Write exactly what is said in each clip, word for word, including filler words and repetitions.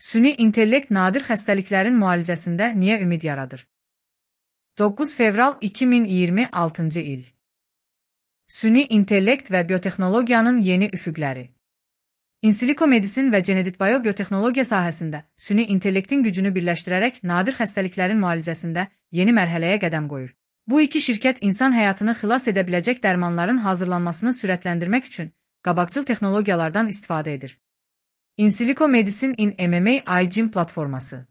Süni intellekt nadir xəstəliklərin müalicəsində niyə ümid yaradır? doqquz fevral iki min iyirmi altıncı il. Süni intellekt və biotexnologiyanın yeni üfüqləri. İnsiliko medisin və geneditbayo biotexnologiya sahəsində süni intellektin gücünü birləşdirərək nadir xəstəliklərin müalicəsində yeni mərhələyə qədəm qoyur. Bu iki şirkət insan həyatını xilas edə biləcək dərmanların hazırlanmasını sürətləndirmək üçün qabaqcıl texnologiyalardan istifadə edir. Insiliko Medisin in M M A iGym platforması.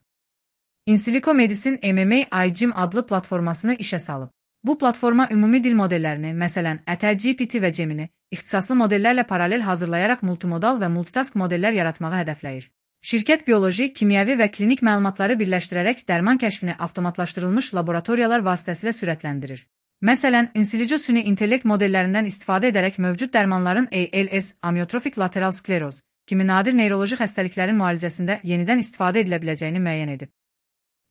Insiliko Medisin M M A iGym adlı platformasını işə salıb. Bu platforma ümumi dil modellərini, məsələn, ətər G P T və Gemini, ixtisaslı modellərlə paralel hazırlayaraq multimodal və multitask modellər yaratmağı hədəfləyir. Şirkət bioloji, kimyəvi və klinik məlumatları birləşdirərək dərman kəşfini avtomatlaşdırılmış laboratoriyalar vasitəsilə sürətləndirir. Məsələn, Insilico süni intellekt modellərindən istifadə edərək mövcud dərmanların A L S, amyotrofik lateral skleroz kimi nadir neyroloji xəstəliklərin müalicəsində yenidən istifadə edilə biləcəyini müəyyən edib.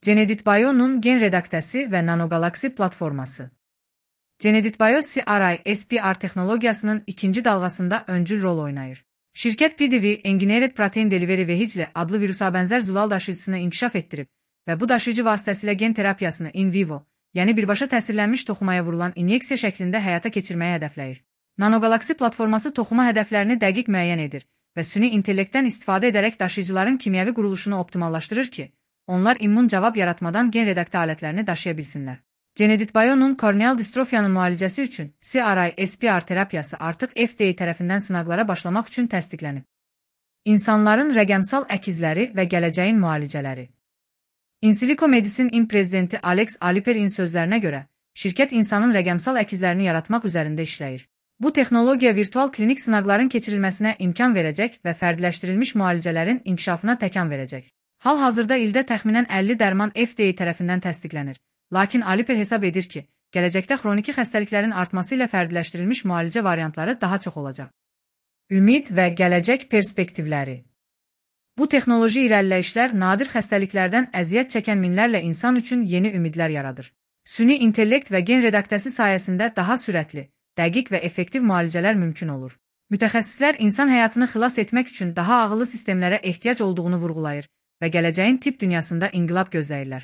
Geneditbayo'nun gen redaktəsi və nanogalaksi platforması. Geneditbayo C R I S P R texnologiyasının ikinci dalğasında öncül rol oynayır. Şirkət P D V Engineered Protein Delivery Vehicle adlı virusa bənzər zülal daşıyıcısını inkişaf etdirib və bu daşıyıcı vasitəsilə gen terapiyasını in vivo, yəni birbaşa təsirlənmiş toxumaya vurulan inyeksiya şəklində həyata keçirməyə hədəfləyir. Nanogalaksi platforması toxuma hədəflərini dəqiq müəyyən edir və süni intellektdən istifadə edərək daşıyıcıların kimyəvi quruluşunu optimallaşdırır ki, onlar immun cavab yaratmadan gen redaktə alətlərini daşıya bilsinlər. Geneditbayo'nun korneal distrofiyanın müalicəsi üçün C R I S P R terapiyası artıq F D A tərəfindən sınaqlara başlamaq üçün təsdiqlənib. İnsanların rəqəmsal əkizləri və gələcəyin müalicələri. Insiliko Medisin in prezidenti Alex Aliperin sözlərinə görə, şirkət insanın rəqəmsal əkizlərini yaratmaq üzərində işləyir. Bu texnologiya virtual klinik sınaqların keçirilməsinə imkan verəcək və fərdiləşdirilmiş müalicələrin inkişafına təkan verəcək. Hal-hazırda ildə təxminən əlli dərman F D A tərəfindən təsdiqlənir. Lakin Aliper hesab edir ki, gələcəkdə xroniki xəstəliklərin artması ilə fərdiləşdirilmiş müalicə variantları daha çox olacaq. Ümid və gələcək perspektivləri. Bu texnoloji irəliləyişlər nadir xəstəliklərdən əziyyət çəkən minlərlə insan üçün yeni ümidlər yaradır. Süni intellekt və gen redaktəsi sayəsində daha sürətli, dəqiq və effektiv müalicələr mümkün olur. Mütəxəssislər insan həyatını xilas etmək üçün daha ağıllı sistemlərə ehtiyac olduğunu vurğulayır və gələcəyin tibb dünyasında inqilab gözləyirlər.